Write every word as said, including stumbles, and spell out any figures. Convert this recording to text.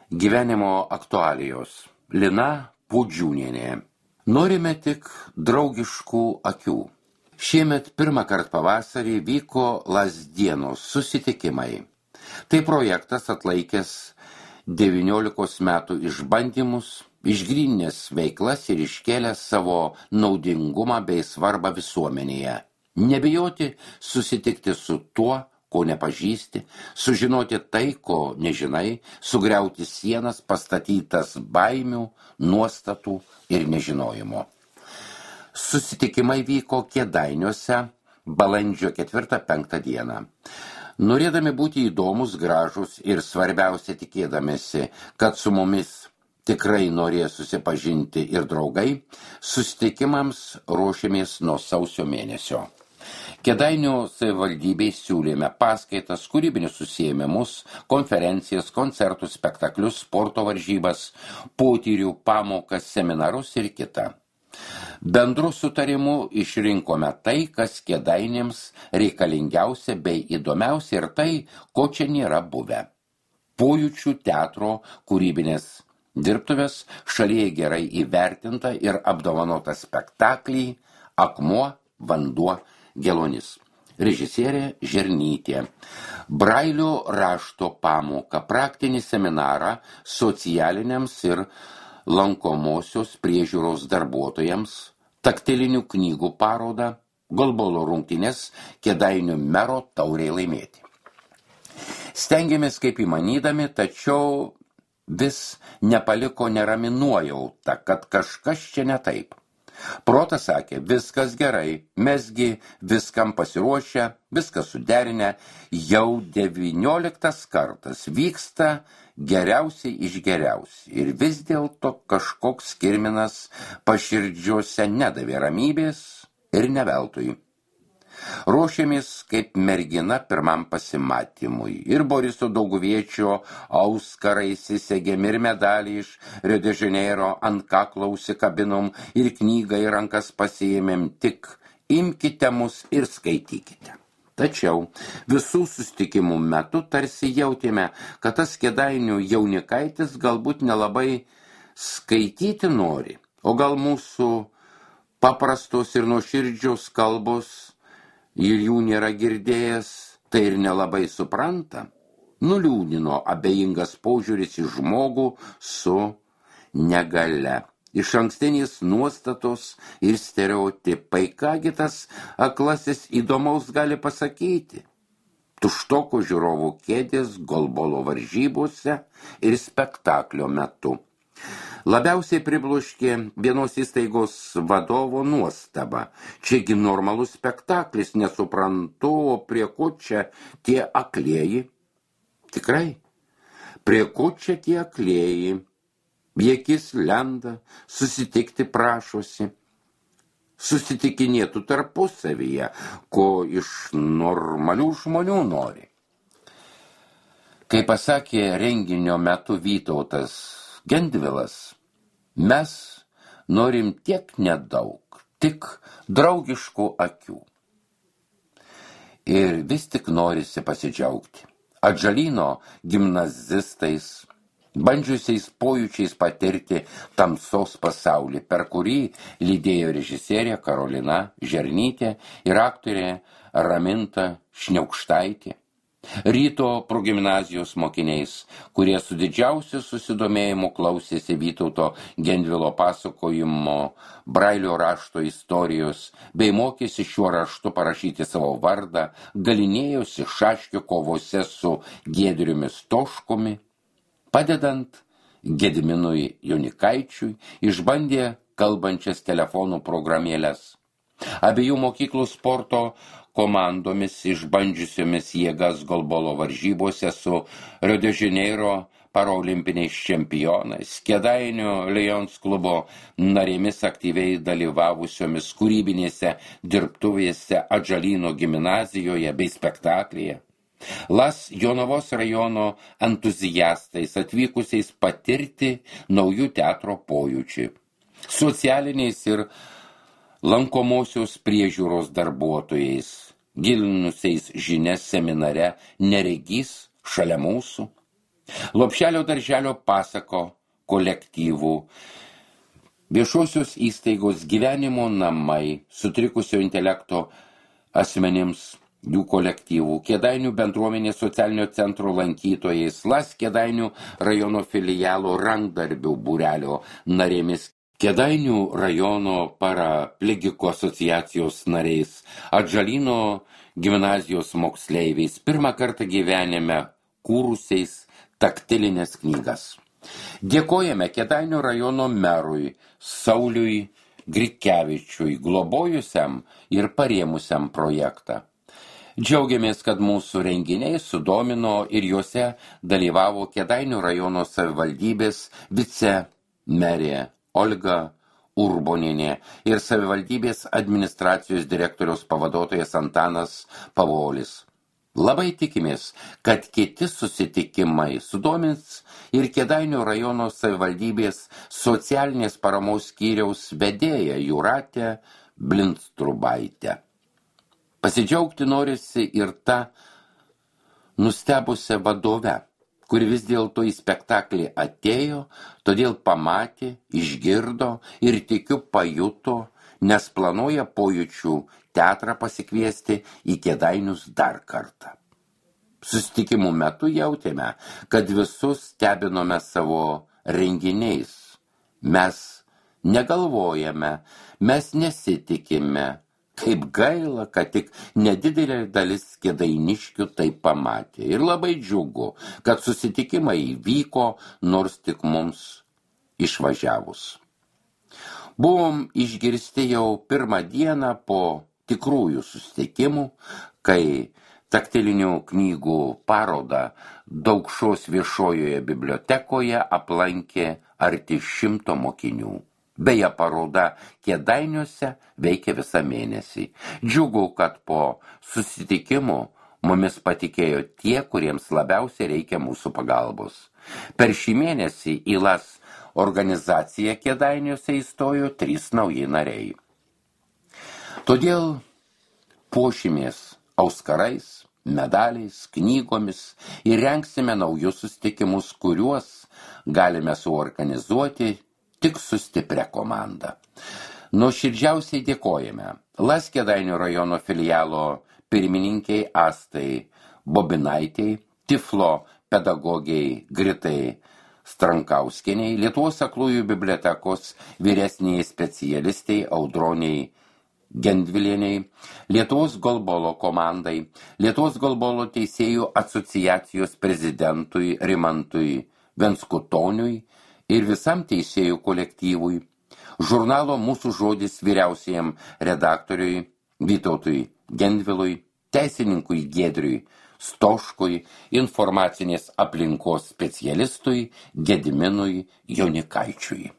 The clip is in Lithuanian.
Gyvenimo aktualijos. Lina Pudžiūnienė. Norime tik draugiškų akių. Šiemet pirmą kartą pavasarį vyko Lazdienos susitikimai. Tai projektas atlaikęs devyniolikos metų išbandymus, išgryninęs veiklas ir iškėlęs savo naudingumą bei svarbą visuomenėje. Nebijoti susitikti su tuo, ko nepažįsti, sužinoti tai, ko nežinai, sugriauti sienas pastatytas baimių, nuostatų ir nežinojimo. Susitikimai vyko Kėdainiuose balandžio ketvirtą penktą dieną. Norėdami būti įdomus, gražus ir svarbiausia tikėdamėsi, kad su mumis tikrai norės susipažinti ir draugai, susitikimams ruošėmės nuo sausio mėnesio. Kėdainių savivaldybei siūlėme paskaitas, kūrybinius užsiėmimus, konferencijas, koncertus, spektaklius, sporto varžybas, potyrių, pamokas, seminarus ir kitą. Bendru sutarimu išrinkome tai, kas Kėdainėms reikalingiausia bei įdomiausia ir tai, ko čia nėra buvę. Pojūčių teatro kūrybinės dirbtuvės šalyje gerai įvertinta ir apdovanota spektaklį Akmuo, vanduo, Gelonis. Režisierė Žernytė. Brailio rašto pamoką, praktinį seminarą socialiniams ir lankomosios priežiūros darbuotojams, taktilinių knygų parodą, golbolo rungtynes Kėdainių mero taurei laimėti. Stengiamės kaip įmanydami, tačiau vis nepaliko nerami nuojauta, kad kažkas čia ne taip. Protas sakė, viskas gerai, mesgi viskam pasiruošę, viskas suderinę, jau devynioliktas kartas vyksta geriausiai iš geriausiai ir vis dėlto kažkoks kirminas paširdžiuose nedavė ramybės ir ne veltui. Ruošėmės kaip mergina pirmam pasimatymui ir Boriso Dauguviečio auskarai įsisegėm ir medalį iš Rio de Janeiro ant kaklo užsikabinom ir knygą į rankas pasiėmėm, tik imkite mus ir skaitykite. Tačiau visų susitikimų metu tarsi jautėme, kad tas Kėdainių jaunikaitis galbūt nelabai skaityti nori, o gal mūsų paprastos ir nuoširdžios kalbos ir jų nėra girdėjęs, tai ir nelabai supranta. Nuliūdino abejingas požiūris į žmogų su negale. Iš ankstinės nuostatos ir stereotipai, kągi tas aklasis įdomaus gali pasakyti. Tuštoko žiūrovų kėdės golbolo varžybose ir spektaklio metu. Labiausiai pribloškė vienos įstaigos vadovo nuostaba. Čiagi normalus spektaklis, nesuprantu, o prie ko čia tie aklieji? Tikrai, prie ko čia tie aklieji? Viekis lenda, susitikti prašosi. Susitikinėtų tarpusavyje, ko iš normalių žmonių nori. Kaip pasakė renginio metu Vytautas Gendvilas, mes norim tiek nedaug, tik draugiškų akių. Ir vis tik norisi pasidžiaugti. Atžalyno gimnazistais, bandžiusiais pojūčiais patirti tamsos pasaulį, per kurį lydėjo režisierė Karolina Žernytė ir aktorė Raminta Šniaukštaitė. Ryto progimnazijos mokiniais, kurie su didžiausiu susidomėjimu klausėsi Vytauto Gendvilo pasakojimo Brailio rašto istorijos, bei mokėsi šiuo raštu parašyti savo vardą, galinėjosi šaškių kovose su Giedriumi Stoškumi, padedant Gediminui Jaunikaičiui, išbandė kalbančias telefonų programėles. Abiejų mokyklų sporto komandomis išbandžiusiomis jėgas golbolo varžybose su Rio de Janeiro paraolimpiniais čempionais, Kėdainių Lions klubo narėmis aktyviai dalyvavusiomis kūrybinėse dirbtuvėse Atžalyno gimnazijoje bei spektaklyje. Las Jonavos rajono entuziastais atvykusiais patirti naujų teatro pojūčių. Socialiniais ir lankomosios priežiūros darbuotojais, gilinusiais žinias seminare Neregys šalia mūsų, Lopšelio darželio pasako kolektyvų, viešosios įstaigos gyvenimo namai, sutrikusio intelekto asmenims, jų kolektyvų, Kėdainių bendruomenės socialinio centro lankytojais, Las Kėdainių rajono filialo rankdarbių būrelio narėmis, Kėdainių rajono paraplegikų asociacijos nariais, Atžalyno gimnazijos moksleiviais, pirmą kartą gyvenime kūrusiais taktilinės knygas. Dėkojame Kėdainių rajono merui Sauliui Grikevičiui, globojusiam ir parėmusiam projektą. Džiaugiamės, kad mūsų renginiai sudomino ir juose dalyvavo Kėdainių rajono savivaldybės vicemerė Olga Urbonienė ir savivaldybės administracijos direktoriaus pavaduotojas Antanas Pavolis. Labai tikimės, kad kiti susitikimai sudomins ir Kėdainių rajono savivaldybės socialinės paramos skyriaus vedėja Jūratė Blindstrubaitė. Pasidžiaugti norisi ir ta nustebusią vadove, kuri vis dėlto į spektaklį atėjo, todėl pamatė, išgirdo ir tikiu pajuto, nes planuoja pojūčių teatrą pasikviesti į Kėdainius dar kartą. Susitikimų metu jautėme, kad visus stebinome savo renginiais. Mes negalvojame, mes nesitikime. Kaip gaila, kad tik nedidelė dalis kėdainiškių tai pamatė. Ir labai džiugu, kad susitikimai vyko, nors tik mums išvažiavus. Buvom išgirsti jau pirmą dieną po tikrųjų susitikimų, kai taktilinių knygų parodą Daukšos viešojoje bibliotekoje aplankė arti šimto mokinių. Beje, paroda Kėdainiuose veikia visą mėnesį. Džiugu, kad po susitikimų mumis patikėjo tie, kuriems labiausiai reikia mūsų pagalbos. Per šį mėnesį į Las organizaciją Kėdainiuose įstojo trys nauji nariai. Todėl puošimės auskarais, medaliais, knygomis ir rengsime naujus susitikimus, kuriuos galime suorganizuoti tik su stipria komanda. Nuoširdžiausiai dėkojame Las Kėdainių rajono filialo pirmininkiai Astai Bobinaitei, Tiflo pedagogiai Gritai Strankauskieniai, Lietuvos aklųjų bibliotekos vyresniai specialistai Audroniai Gendvilieniai, Lietuvos golbolo komandai, Lietuvos golbolo teisėjų asociacijos prezidentui Rimantui Venskutoniui ir visam teisėjų kolektyvui, žurnalo Mūsų žodis vyriausiajam redaktoriui Vytautui Gendvilui, teisininkui Giedriui Stoškui, informacinės aplinkos specialistui Gediminui Jonikaičiui.